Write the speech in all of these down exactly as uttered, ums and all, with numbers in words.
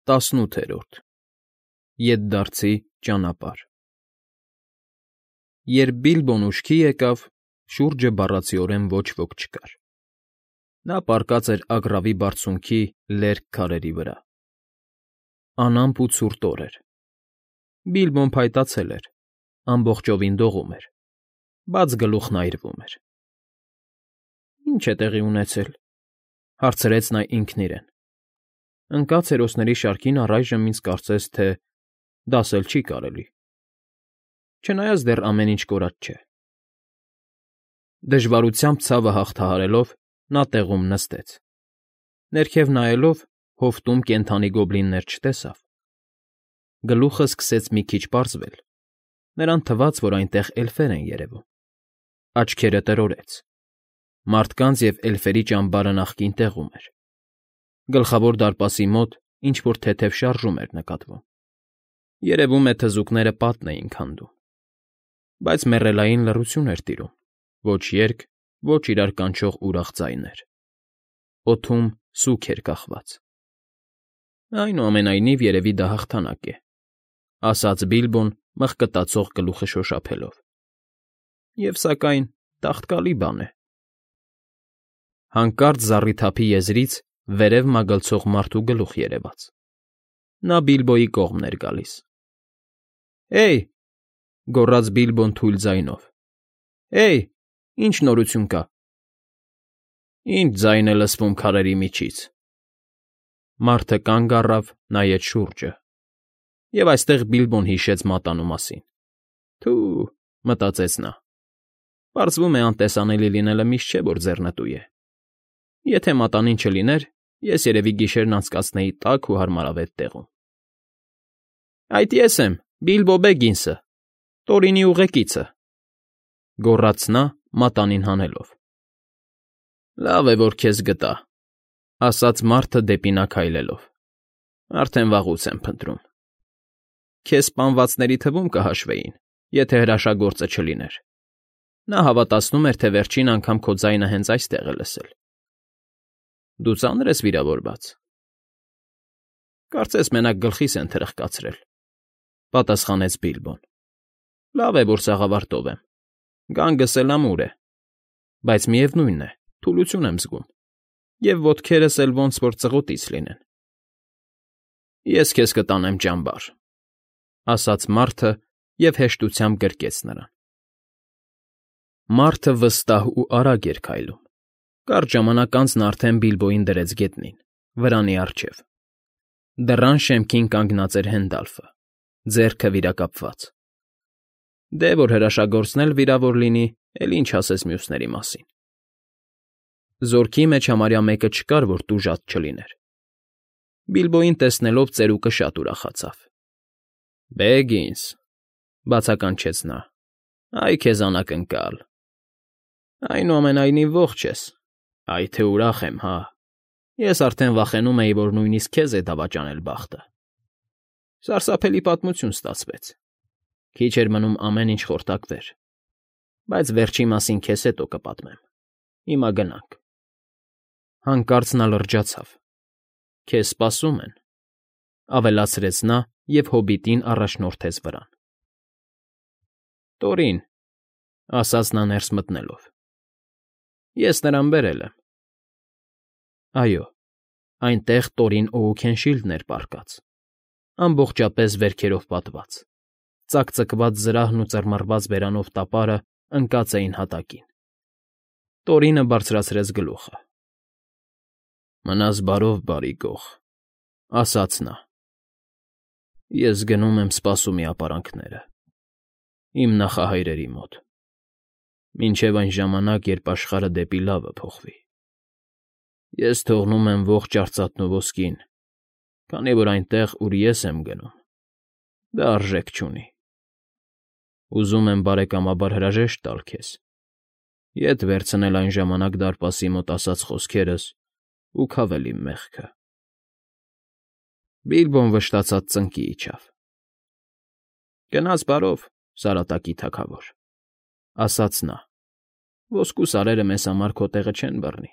ՏԱՍՆՈՒԹԵՐՈՐԴ ԵՏԴԱՐՁԻ ՃԱՆԱՊԱՐՀ Երբ Բիլբոն ուշքի եկավ, շուրջը բառացիորեն ոչ ոք չկար. նա պառկած էր Ագռավի Բարձունքի լերկ քարերի վրա։ Անամպ ու ցուրտ օր էր։ Բիլբոն փայտացել էր, ամբողջովին դողում էր, բաց գլուխն այրվում էր։ «Ի՞նչ է տեղի ունեցել,֊ հարցրեց նա ինքն իրեն։ Ընկած հերոսների շարքին առայժմ ինձ կարծես թե դասել չի կարելի, չնայած դեռ ամեն ինչ կորած չէ»։ Դժվարությամբ ցավը հաղթահարելով՝ նա տեղում նստեց։ Ներքև նայելով՝ հովտում կենդանի գոբլիններ չտեսավ։ Գլուխը սկսեց մի քիչ պարզվել, նրան թվաց, որ այնտեղ էլֆեր են երևում։ Աչքերը տրորեց։ Մարդկանց և էլֆերի ճամբարը նախկին տեղում էր։ Գլխավոր դարպասի մոտ ինչ֊որ թեթև շարժում էր նկատվում։ Երևում է թզուկները պատն էին քանդում։ Բայց մեռելային լռություն էր տիրում, ոչ երգ, ոչ իրար կանչող ուրախ ձայներ։ Օդում սուգ էր կախված։ Այնուամենայնիվ, երևի դա հաղթանակ է,֊ ասաց Բիլբոն մղկտացող գլուխը շոշափելով։ Եվ սակայն տաղտկալի բան է։ Հանկարծ զառիթափի եզրից վերև մագլցող մարդու գլուխ երևաց։ Նա Բիլբոյի կողմն էր գալիս։ «Հե՜յ,֊ գոռաց Բիլբոն թույլ ձայնով,֊ Հե՜յ, ի՞նչ նորություն կա»։ «Ի՞նչ ձայն է լսվում քարերի միջից»։ Մարդը կանգ առավ, նայեց շուրջը, և այստեղ Բիլբոն հիշեց մատանու մասին։ «Թո՛ւ,֊ մտածեց նա,֊ պարզվում է անտեսանելի լինելը միշտ չէ, որ ձեռնտու է։ Եթե մատանին չլիներ, ես երևի գիշերն անցկացնեի տաք ու հարմարավետ տեղում»։ «Այդ ես եմ, Բիլբո Բեգինսը, Տորինի ուղեկիցը,֊ գոռաց նա՝ մատանին հանելով։ «Լավ է, որ քեզ գտա,֊ ասաց մարդը դեպի նա քայլելով։ Արդեն վաղուց եմ փնտրում։ Քեզ սպանվածների թվում կհաշվեին, եթե հրաշագործը չլիներ։ Նա հավատացնում էր, թե վերջին անգամ քո ձայնը հենց այստեղ է լսել։ Դու ծա՞նր ես վիրավորված»։ «Կարծես մենակ գլխիս են թրխկացրել,֊ պատասխանեց Բիլբոն։ Լավ է, որ սաղավարտով եմ, գանգս էլ ամուր է, բայց միևնույն է, թուլություն եմ զգում, և ոտքերս էլ ոնց որ ծղոտից լինեն»։ «Ես քեզ կտանեմ ճամբար,֊ ասաց մարդը և հեշտությամբ գրկեց նրան։ Մարդը վստահ ու արագ էր քայլում։ Կարճ ժամանակ անց նա արդեն Բիլբոյին դրեց գետնին, վրանի առջև։ Դռան շեմքին կանգնած էր Հենդալֆը, ձեռքը վիրակապված։ Դե որ հրաշագործն էլ վիրավոր լինի, էլ ինչ ասես մյուսների մասին։ Զորքի մեջ համարյա մեկը չկար, որ տուժած չլիներ։ Բիլբոյին տեսնելով ծերուկը շատ ուրախացավ։ «Բեգինս,֊ բացականչեց նա,֊ այ քեզ անակնկալ։ Այնուամենայնիվ ողջ ես, այ թե ուրախ եմ, հա։ Ես արդեն վախենում էի, որ նույնիսկ քեզ է դավաճանել բախտը։ Սարսափելի պատմություն ստացվեց։ Քիչ էր մնում ամեն ինչ խորտակվեր, բայց վերջի մասին քեզ հետո կպատմեմ։ Հիմա գնանք»։ Հանկարծ նա լրջացավ։ «Քեզ սպասում են,֊ ավելացրեց նա և հոբիտին առաջորդեց վրան։ «Տորին,֊ ասաց նա ներս մտնելով,֊ ես նրան բերել եմ»։ Այո, այնտեղ Տորին Օուքենշիլդն էր պառկած, ամբողջապես վերքերով պատված, ծակծկված զրահն ու ծռմռված բերանով տապարը ընկած էին հատակին։ Տորինը բարձրացրեց գլուխը։ «Մնաս բարով, բարի գող,֊ ասաց նա։ Ես գնում եմ սպասումի ապարանքները, իմ նախահայրերի մոտ, մինչև այն ժամանակ, երբ աշխարհը դեպի լավը փոխվի։ Ես թողնում եմ ողջ արծաթն ու ոսկին, քանի որ այնտեղ, ուր ես եմ գնում, դա արժեք չունի։ Ուզում եմ բարեկամաբար հրաժեշտ տալ քեզ, ետ վերցնել այն ժամանակ դարպասի մոտ ասած խոսքերս ու քավել իմ մեղքը»։ Բիլբոն վշտացած ծնկի իջավ։ «Գնաս բարով, Սարատակի թագավոր,֊ ասաց նա,֊ ոսկու սարերը մեզ համար քո տեղը չեն բռնի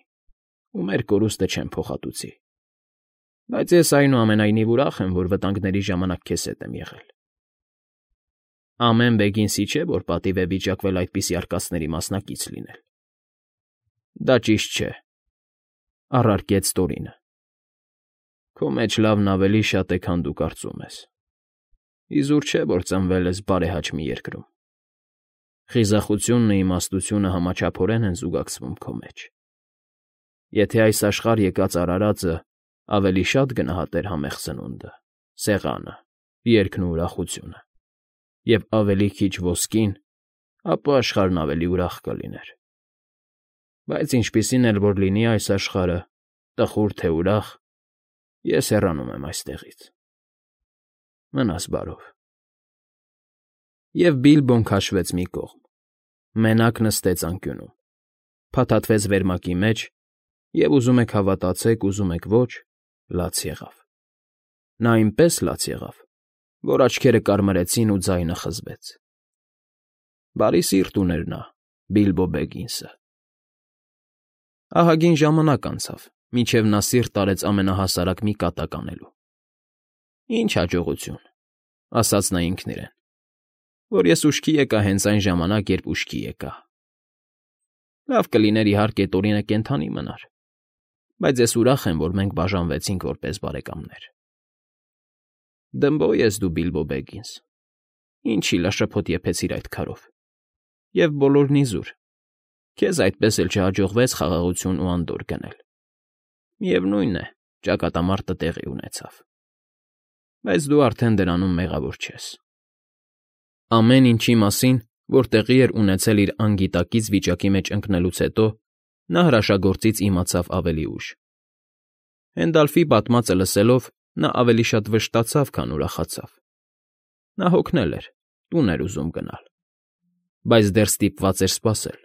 ու մեր կորուստը չեն փոխհատուցի։ Բայց ես այնուամենայնիվ ուրախ եմ, որ վտանգների ժամանակ քեզ հետ եմ եղել։ Ամեն Բեգինսի չէ, որ պատիվ է վիճակվել այդպիսի արկածների մասնակից լինել։ Դա ճիշտ չէ, առարկեց Տորինը։ Քո մեջ լավն ավելի շատ է, քան դու կարծում ես։ Իզուր չէ, որ ծնվել ես բարեհաճ մի երկրում։ Խիզախությունն ու իմաստությունը համաչափորեն են զուգակցվում քո մեջ։ Եթե այս աշխարհ եկած արարածը ավելի շատ գնահատեր համեղ սնունդը, սեղանը, երգն ու ուրախությունը, և ավելի քիչ ոսկին, ապա աշխարհն ավելի ուրախ կլիներ։ Բայց ինչպիսին էլ որ լինի այս աշխարհը, տխուր թե ուրախ, ես հեռանում եմ այստեղից։ Մնաս բարով։ Եվ Բիլբոն քաշվեց մի կողմ, մենակ նստեց անկյունում, փաթաթվեց վերմակի մեջ և, ուզում եք հավատացեք, ուզում եք ոչ, լաց եղավ։ Նա այնպես լաց եղավ, որ աչքերը կարմրեցին ու ձայնը խզվեց։ Բարի սիրտ ուներ նա, Բիլբո Բեգինսը։ Ահագին ժամանակ անցավ, մինչև նա սիրտ արեց ամենահասարակ մի կատակ անելու։ Ինչ հաջողություն, ասաց նա ինքն իրեն, որ ես ուշքի եկա հենց այն ժամանակ, երբ ուշքի եկա։ Լավ կլիներ, իհարկե, Տորինը կենդանի մնար, բայց ես ուրախ եմ, որ մենք բաժանվեցինք որպես բարեկամներ։ Դմբո ես դու, Բիլբո Բեգինս, ինչ շիլաշփոթ եփեցիր այդ քարով, և բոլորն իզուր, քեզ այդպես էլ չհաջողվեց խաղաղություն ու անդորր գնել։ Միևնույն է, ճակատամարտը տեղի ունեցավ, բայց դու արդեն դրանում մեղավոր չես։ Ամեն ինչի մասին, որ տեղի էր ունեցել իր անգիտակից վիճակի մեջ ընկնելուց հետո, նա հրաշագործից իմացավ ավելի ուշ։ Հենդալֆի պատմածը լսելով, նա ավելի շատ վշտացավ, քան ուրախացավ։ Նա հոգնել էր, տուն էր ուզում գնալ, բայց դեռ ստիպված էր սպասել։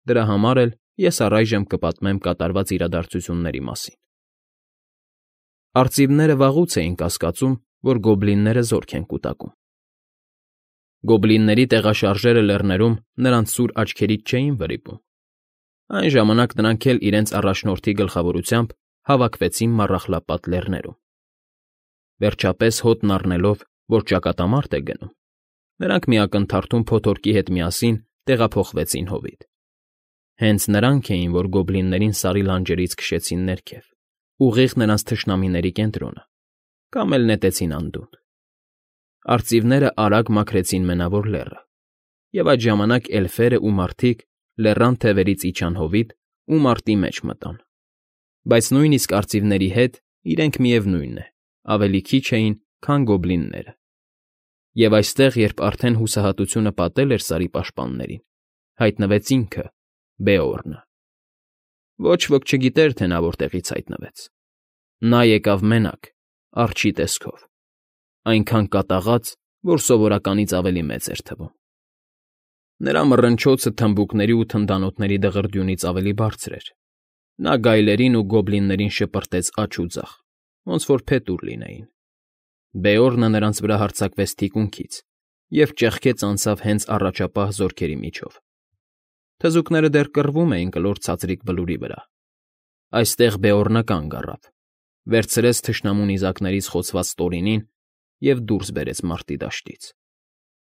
Դրա համար էլ ես առայժմ կպատմեմ կատարված իրադարձությունների մասին։ Արծիվները վաղուց էին կասկածում, որ գոբլինները զորք են կուտակում։ Գոբլինների տեղաշարժերը լեռներում նրանց սուր աչքերից չէին վրիպում։ Այն ժամանակ նրանք էլ իրենց առաջնորդի գլխավորությամբ հավաքվեցին Մառախլապատ Լեռներում։ Վերջապես հոտն առնելով, որ ճակատամարտ է գնում, նրանք մի ակնթարթում փոթորկի հետ միասին տեղափոխվեցին հովիտ։ Հենց նրանք էին, որ գոբլիններին Սարի լանջերից քշեցին ներքև, ուղիղ նրանց թշնամիների կենտրոնը, կամ էլ նետեցին անդունդը։ Արծիվները արագ մաքրեցին Մենավոր Լեռը, և այդ ժամանակ էլֆերը ու մարդիկ լեռան թևերից իջան հովիտ ու մարտի մեջ մտան։ Բայց նույնիսկ արծիվների հետ իրենք, միևնույն է, ավելի քիչ էին, քան գոբլինները։ Եվ այստեղ, երբ արդեն հուսահատությունը պատել էր Սարի պաշտպաններին, հայտնվեց ինքը՝ Բեորնը։ Ոչ ոք չգիտեր, թե նա որտեղից հայտնվեց։ Նա եկավ մենակ, արջի տեսքով, այնքան կատաղած, որ սովորականից ավելի մեծ էր թվում։ Նրա մռնչոցը թմբուկների ու թնդանոթների դղրդյունից ավելի բարձր էր։ Նա գայլերին ու գոբլիններին շպրտեց աջ ու ձախ, ոնց որ փետուր լինեին։ Բեորնը նրանց վրա հարձակվեց թիկունքից և ճեղքեց անցավ հենց առաջապահ զորքերի միջով։ Թզուկները դեռ կռվում էին կլոր ցածրիկ բլուրի վրա։ Այստեղ Բեորնը կանգ առավ, վերցրեց թշնամու նիզակներից խոցված Տորինին և դուրս բերեց մարտի դաշտից։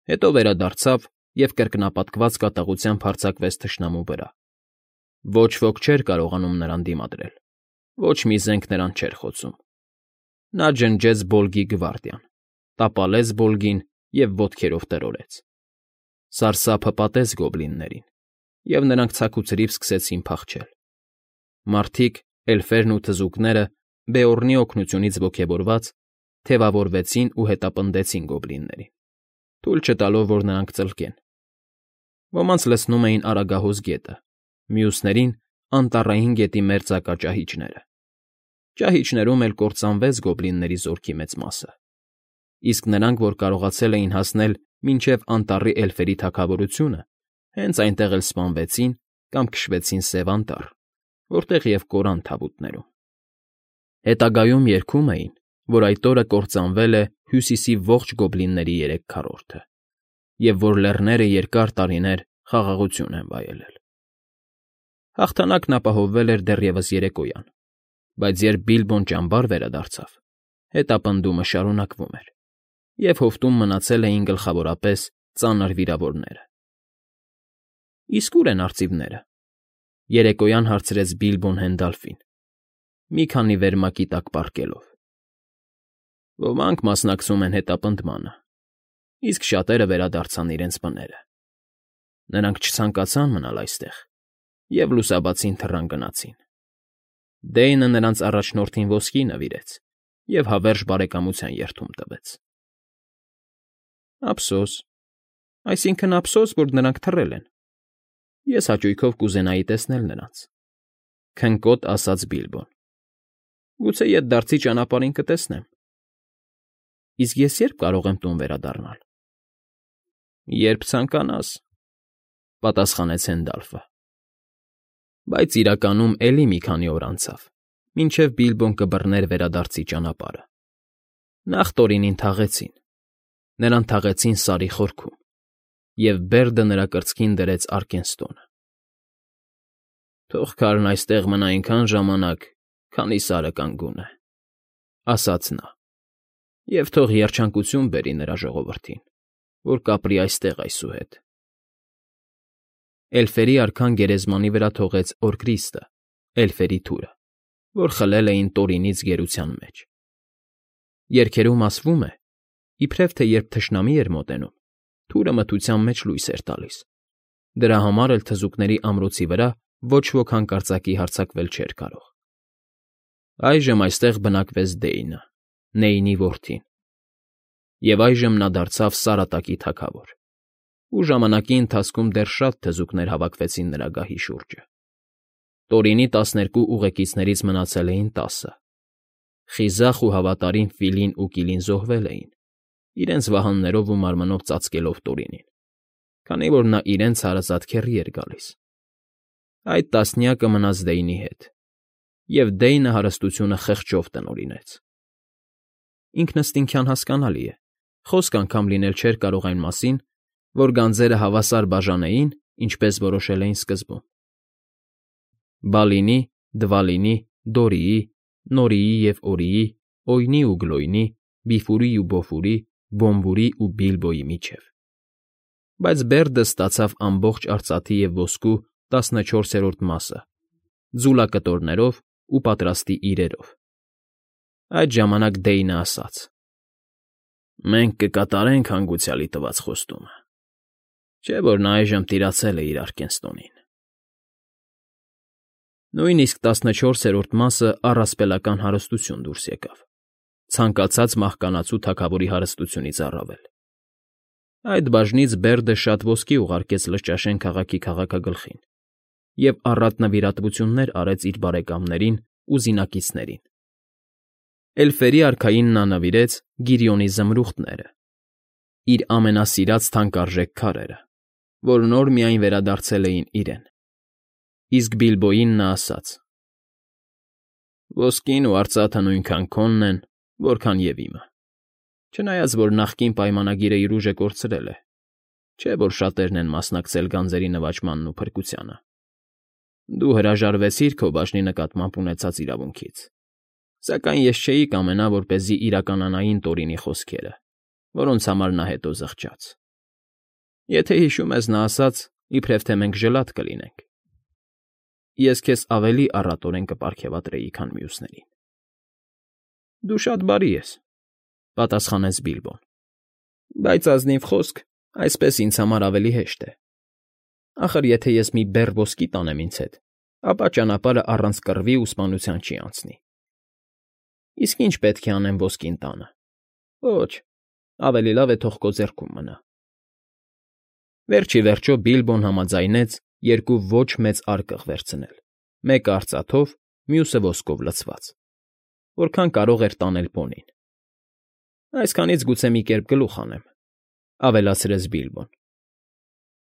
Հետո վերադարձավ և կրկնապատկված կատաղությամբ հարձակվեց թշնամու վրա։ Ոչ ոք չէր կարողանում նրան դիմադրել, ոչ մի զենք նրան չէր խոցում։ Նա ջնջեց Բոլգի գվարդիան, տապալեց Բոլգին և ոտքերով տրորեց։ Սարսափը պատեց գոբլիններին, և նրանք ցաքուցրիվ սկսեցին փախչել։ Մարդիկ, էլֆերն ու թզուկները, Բեորնի օգնությունից ոգևորված, թևավորվեցին ու հետապնդեցին գոբլիններին, թույլ չտալով, որ նրանք ծլկեն։ Ոմանց լցնում էին Արագահոս գետը, մյուսներին՝ Անտառային գետի մերձակա ճահիճները։ Ճահիճներում էլ կործանվեց գոբլինների զորքի մեծ մասը, իսկ նրանք, որ կարողացել էին հասնել մինչև անտառի էլֆերի թագավորությունը, հենց այնտեղ էլ սպանվեցին կամ քշվեցին Սև Անտառ, որտեղ և կորան թավուտներում։ Հետագայում երգում էին, որ այդ օրը կործանվել է Հյուսիսի ողջ գոբլինների երեք քառորդը, և որ լեռները երկար տարիներ խաղաղություն են վայելել։ Հաղթանակն ապահովվել էր դեռևս երեկոյան, Բայց երբ Բիլբոն ճամբար վերադարձավ, հետապնդումը շարունակվում էր, և հովտում մնացել էին գլխավորապես ծանր վիրավորները։ ֊ Իսկ ո՞ւր են արծիվները,֊ երեկոյան հարցրեց Բիլբոն Հենդալֆին, մի քանի վերմակի տակ պառկելով։ ֊ Ոմանք մասնակցում են հետապնդմանը, իսկ շատերը վերադարձան իրենց բները. նրանք չցանկացան մնալ այստեղ և լուսաբացին թռան գնացին։ Դեյնը նրանց առաջնորդին ոսկի նվիրեց և հավերժ բարեկամության երդում տվեց։ ֊ Ափսոս, այսինքն՝ ափսոս, որ նրանք թռել են. ես հաճույքով կուզենայի տեսնել նրանց,֊ քնկոտ ասաց Բիլբոն։ ֊ Գուցե ետդարձի ճանապարհին կտեսնեմ։ ֊ Իսկ ես ե՞րբ կարող եմ տուն վերադառնալ։ ֊ Երբ ցանկանաս,֊ պատասխանեց Հենդալֆը։ Բայց իրականում էլի մի քանի օր անցավ, մինչև Բիլբոն կբռներ վերադարձի ճանապարհը։ Նախ Տորինին թաղեցին, նրան թաղեցին Սարի խորքում, և Բերդը նրա կրծքին դրեց Արկենստոնը։ «Թող քարն այստեղ մնա այնքան ժամանակ, քանի Սարը կանգուն է,֊ ասաց նա,֊ և թող երջանկություն բերի նրա ժողովրդին, որ կապրի այստեղ այսուհետ»։ Էլֆերի արքան գերեզմանի վրա թողեց Օրկրիստը, էլֆերի թուրը, որ խլել էին Տորինից գերության մեջ։ Երգերում ասվում է, իբրև թե երբ թշնամի էր մոտենում, թուրը մթության մեջ լույս էր տալիս, դրա համար էլ թզուկների ամրոցի վրա ոչ ոք հանկարծակի հարձակվել չէր կարող։ Այժմ այստեղ բնակվեց Դեյնը, Նեյնի որդին, և այժմ նա դարձավ Սարատակի թագավոր, ու ժամանակի ընթացքում դեռ շատ թզուկներ հավաքվեցին նրա գահի շուրջը։ Տորինի տասներկու ուղեկիցներից մնացել էին տասը։ Խիզախ ու հավատարիմ Ֆիլին ու Կիլին զոհվել էին, իրենց վահաններով ու մարմնով ծածկելով Տորինին, քանի որ նա իրենց հարազատ քեռի էր գալիս։ Այդ տասնյակը մնաց Դեյնի հետ, և Դեյնը հարստությունը խղճով տնօրինեց։ Ինքնըստինքյան հասկանալի է, խոսք անգամ լինել չէր կարող այն մասին, որ գանձերը հավասար բաժանեին, ինչպես որոշել էին սկզբում։ Բալինի, Դվալինի, Դորիի, Նորիի և Օրիի, Օյնի ու Գլոյնի, Բիֆուրի ու Բոֆուրի, Բոմբուրի ու Բիլբոյի միջև։ Բայց Բերդը ստացավ ամբողջ արծաթի և ոսկու տասնչորսերորդ մասը, ձուլակտորներով ու պատրաստի իրերով։ Այդ ժամանակ Դեյնը ասաց. «Մենք կկատարենք հանգուցյալի տված խոստումը, չէ՞ որ նա այժմ տիրացել է իր Արկենստոնին»։ Նույնիսկ տասնչորսերորդ մասը առասպելական հարստություն դուրս եկավ, ցանկացած մահկանացու թագավորի հարստությունից առավել։ Այդ բաժնից Բերդը շատ ոսկի ուղարկեց Լճաշեն քաղաքի քաղաքագլխին և առատ նվիրատվություններ արեց իր բարեկամներին ու զինակիցներին։ Էլֆերի արքային նա նվիրեց Գիրիոնի զմրուխտները, իր ամենասիրած թանկարժեք քարերը, որ նոր միայն վերադարձել էին իրեն։ Իսկ Բիլբոյին նա ասաց. «Ոսկին ու արծաթը նույնքան քոնն են, որքան և իմը, չնայած որ նախկին պայմանագիրը իր ուժը կորցրել է, չէ՞ որ շատերն են մասնակցել գանձերի նվաճմանն ու փրկությանը։ Դու հրաժարվեցիր քո բաժնի նկատմամբ ունեցած իրավունքից, սակայն ես չէի կամենա, որպեսզի իրականանային Տորինի խոսքերը, որոնց համար նա հետո զղջաց։ Եթե հիշում ես, նա ասաց, իբրև թե մենք ժլատ կլինենք։ Ես քեզ ավելի առատորեն կպարգևատրեի, քան մյուսներին»։ ֊ Դու շատ բարի ես,֊ պատասխանեց Բիլբոն,֊ բայց ազնիվ խոսք, այսպես ինձ համար ավելի հեշտ է։ Ախր եթե ես մի բեռ ոսկի տանեմ ինձ հետ, ապա ճանապարհը առանց կռվի ու սպանության չի անցնի։ Իսկ ի՞նչ պետք է անեմ ոսկին տանը։ Ոչ, ավելի լավ է թող քո ձեռքում մնա։ Վերջ ի վերջո Բիլբոն համաձայնեց երկու ոչ մեծ արկղ վերցնել, մեկը արծաթով, մյուսը ոսկով լցված, որքան կարող էր տանել պոնին։ «Այսքանից գուցե մի կերպ գլուխ անեմ,֊ ավելացրեց Բիլբոն։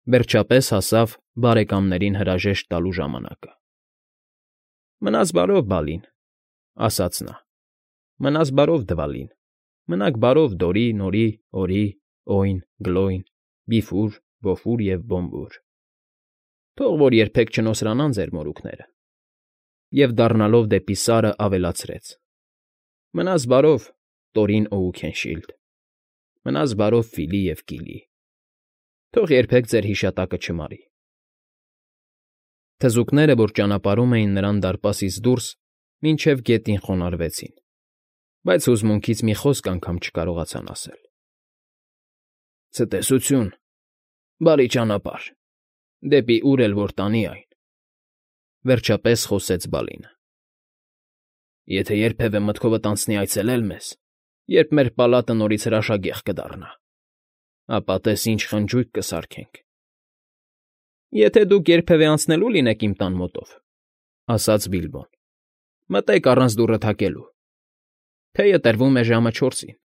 Վերջապես հասավ բարեկամներին հրաժեշտ տալու ժամանակը։ «Մնաս բարով, Բալին,֊ ասաց նա,֊ մնաս բարով, Դվալին, մնաք բարով, Դորի, Նորի, Օրի, Օյն, Գլոյն, Բիֆուր, Բոֆուր և Բոմբուր։ Թող որ երբեք չնոսրանան ձեր մորուքները։ Եվ, դառնալով դեպի Սարը, ավելացրեց. Մնաս բարով, Տորին Օուքենշիլդ, մնաս բարով Ֆիլի և Կիլի, թող երբեք ձեր հիշատակը չմարի։ Թզուկները, որ ճանապարհում էին նրան դարպասից դուրս, մինչև գետին խոնարհվեցին, բայց հուզմունքից մի խոսք անգամ չկարողացան ասել։ Ցտեսություն, բարի ճանապարհ, դեպի ուր էլ որ տանի այն, վերջապես խոսեց Բալինը։ Եթե երբևէ մտքովդ անցնի այցելել մեզ, երբ մեր պալատը նորից հրաշագեղ կդառնա, ապա տես ինչ խնջույք կսարքենք։ Եթե դուք երբևէ անցնելու լինեք իմ տան մոտով, ասաց Բիլբոն, մտեք առանց դուռը թակելու։ Թեյը տրվում է ժամը չորսին,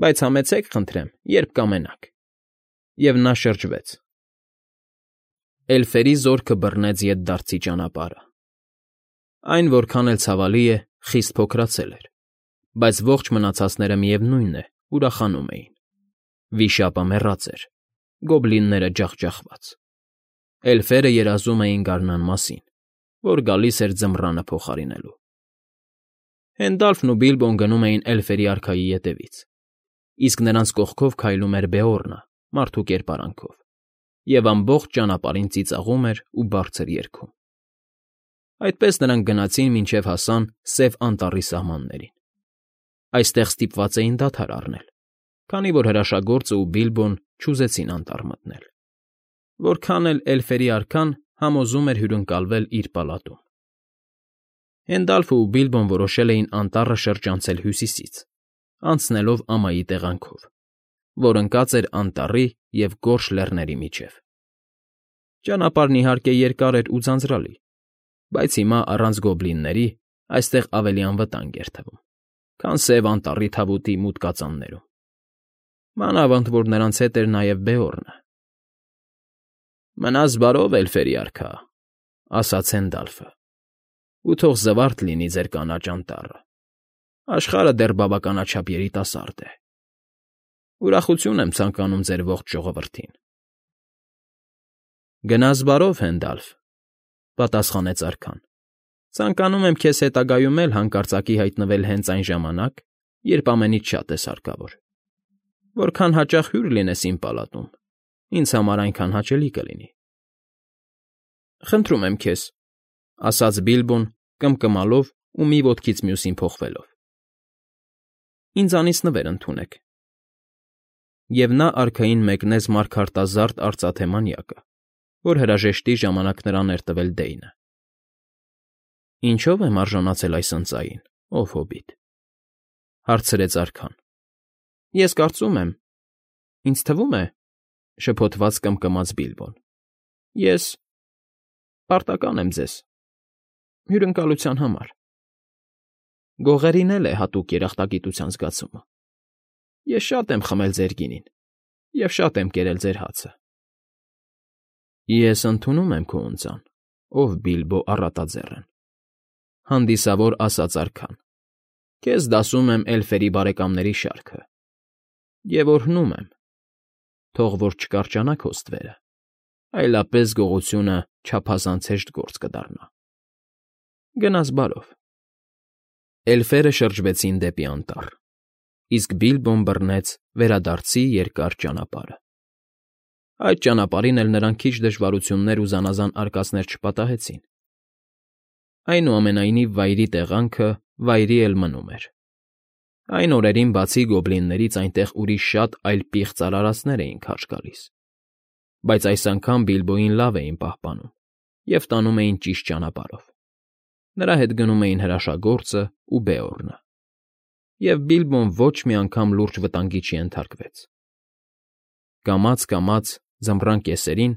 բայց համեցեք, խնդրեմ, երբ կամենաք։ Եվ նա շրջվեց։ Էլֆերի զորքը բռնեց ետդարձի ճանապարհը։ Այն, որքան էլ ցավալի է, խիստ փոքրացել էր, բայց ողջ մնացածները միևնույն է, ուրախանում էին։ Վիշապը մեռած էր, գոբլինները ջախջախված։ Էլֆերը երազում էին գարնան մասին, որ գալիս էր ձմռանը փոխարինելու։ Հենդալֆն ու Բիլբոն գնում էին էլֆերի արքայի ետևից, իսկ նրանց կողքով քայլում էր Բեորնը մարդու կերպարանքով, և ամբողջ ճանապարհին ծիծաղում էր ու բարձր երգում։ Այդպես նրանք գնացին, մինչև հասան Սև Անտառի սահմաններին։ Այստեղ ստիպված էին դադար առնել, քանի որ հրաշագործը ու Բիլբոն չուզեցին անտառ մտնել։ Որքան էլ էլֆերի արքան համոզում էր հյուրընկալվել իր պալատում։ Հենդալֆը ու Բիլբոն որոշել էին անտառը շրջանցել հյուսիսից, անցնելով ամայի տեղանքով, որ ընկած էր անտառի և Գորշ լեռների միջև։ Ճանապարհն իհարկե երկար էր ու ձանձրալի, բայց հիմա առանց գոբլինների այստեղ ավելի անվտանգ էր թվում, քան Սև Անտառի թավուտի մութ կածաններում։ Մանավանդ որ նրանց հետ էր նաև Բեորնը։ Մնաս բարով, էլֆերի արքա, ասաց Հենդալֆը, ու թող զվարթ լինի ձեր կանաչ անտառը։ Աշխարհը դեռ բավականաչափ երիտասարդ է։ Ուրախություն եմ ցանկանում ձեր ողջ ժողովրդին։ Գնաս բարով, Հենդալֆ, պատասխանեց արքան։ Ցանկանում եմ քեզ հետագայում էլ հանկարծակի հայտնվել հենց այն ժամանակ, երբ ամենից շատ ես հարկավոր։ Որքան հաճախ հյուր լինես իմ պալատում, ինձ համար այնքան հաճելի կլինի։ Խնդրում եմ քեզ, ասաց Բիլբոն, կմկմալով ու մի ոտքից մյուսին փոխվելով։ Ինձանից նվեր ընդունեք։ Եվ նա արքային մեկնեց մարգարտազարդ արծաթե մանյակը, որ հրաժեշտի ժամանակ նրան էր տվել Դեյնը։ Ինչո՞վ եմ արժանացել այս ընծային, ով հոբիտ, հարցրեց արքան։ Ես կարծում եմ, ինձ թվում է, շփոթված կմկմաց Բիլբոն։ Ես պարտական եմ ձեզ հյուրընկալության համար։ Գողերին էլ է հատուկ երախտագիտության զգացումը։ Ես շատ եմ խմել ձեր գինին և շատ եմ կերել ձեր հացը։ Ես ընդունում եմ քո ընծան, ով Բիլբո Առատաձեռն, հանդիսավոր ասաց արքան, քեզ դասում եմ էլֆերի բարեկամների շարքը, և օրհնում եմ, թող որ չկարճանա քո ստվերը, այլապես գողությունը չափազանց հեշտ գործ կդառնա։ Գնաս բարով։ Էլֆերը շրջվեցին դեպի անտառ, իսկ Բիլբոն բռնեց վերադարձի երկար ճանապարհը։ Այդ ճանապարհին էլ նրան քիչ դժվարություններ ու զանազան արկածներ չպատահեցին։ Այնուամենայնիվ վայրի տեղանքը վայրի էլ մնում էր։ Այն օրերին բացի գոբլիններից այնտեղ ուրիշ շատ այլ պիղծ արարածներ էին քարշ գալիս, բայց այս անգամ Բիլբոյին լավ էին պահպանում և տանում էին ճիշտ ճանապարհով։ Նրա հետ գնում էին հրաշագործը ու Բեորնը, և Բիլբոն ոչ մի անգամ լուրջ վտանգի չենթարկվեց։ Կամաց֊կամաց ձմռան կեսերին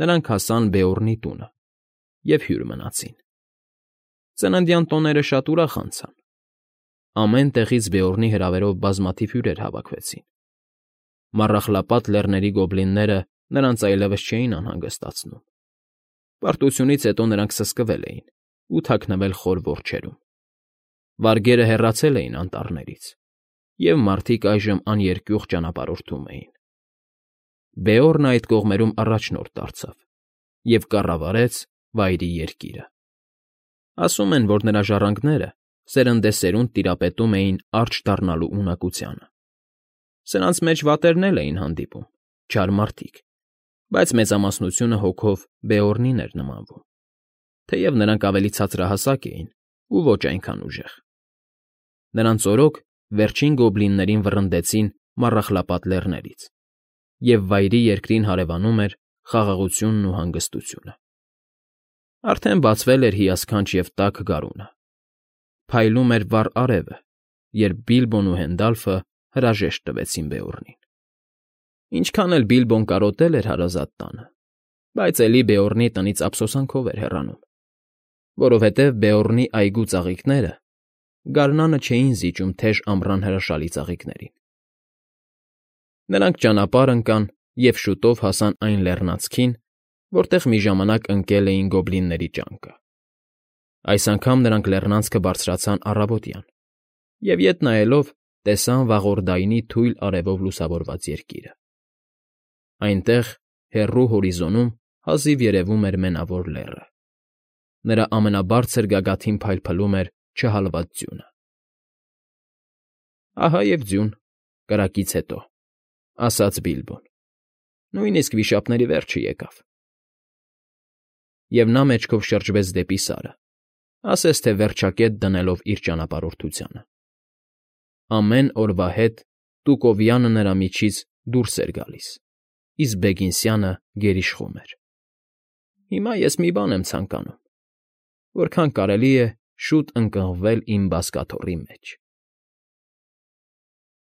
նրանք հասան Բեորնի տունը և հյուր մնացին։ Ծննդյան տոները շատ ուրախ անցան։ Ամեն տեղից Բեորնի հրավերով բազմաթիվ հյուրեր հավաքվեցին։ Մառախլապատ Լեռների գոբլինները նրանց այլևս չէին անհանգստացնում։ Պարտությունից հետո նրանք սսկվել էին ու թաքնվել խոր որջերում։ Վարգերը հեռացել էին անտառներից, և մարդիկ այժմ աներկյուղ ճանապարհորդում էին։ Բեորնը այդ կողմերում առաջնորդ դարձավ և կառավարեց Վայրի Երկիրը։ Ասում են, որ նրա ժառանգները սերնդեսերունդ տիրապետում էին արջ դառնալու ունակությանը. սրանց մեջ վատերն էլ էին հանդիպում, չար մարդիկ, բայց մեծամասնությունը հոգով Բեորնին էր նմանվում, թեև նրանք ավելի ցածրահասակ էին ու ոչ այնքան ուժեղ։ Նրանց օրոք վերջին գոբլիններին վռնդեցին Մառախլապատ Լեռներից, և Վայրի Երկրին հարևանում էր խաղաղությունն ու հանգստությունը։ Արդեն բացվել էր հիասքանչ և տաք գարունը, փայլում էր վառ արևը, երբ Բիլբոն ու Հենդալֆը հրաժեշտ տվեցին Բեորնին։ Ինչքան էլ Բիլբոն կարոտել էր հարազատ տանը, բայց էլի Բեորնի տնից ափսոսանքով էր հեռանում, որովհետև Բեորնի այգու ծաղիկները գարնանը չէին զիջում թեժ ամռան հրաշալի ծաղիկներին։ Նրանք ճանապարհ ընկան և շուտով հասան այն լեռնանցքին, որտեղ մի ժամանակ ընկել էին գոբլինների ճանկը։ Այս անգամ նրանք լեռնանցքը բարձրացան առավոտյան և, ետ նայելով, տեսան վաղորդայնի թույլ արևով լուսավորված երկիրը։ Այնտեղ, հեռու հորիզոնում հազիվ երևում էր Մենավոր Լեռը։ Նրա ամենաբարձր գագաթին փայլփլում էր չհալված ձյունը։ «Ահա և ձյուն, կրակից հետո», ֊ ասաց Բիլբոն։ «Նույնիսկ վիշապների վերջը եկավ»։ Եվ նա մեջքով շրջվեց դեպի Սարը, ասես թե վերջակետ դնելով իր ճանապարհորդությանը։ Ամեն օրվա հետ տուկովյանը նրա միջից դուրս էր գալիս, իսկ բեգինսյանը գերիշխում էր։ «Հիմա ես մի բան եմ ցանկանում. որքան կարելի է շուտ ընկղմվել իմ բազկաթոռի մեջ»։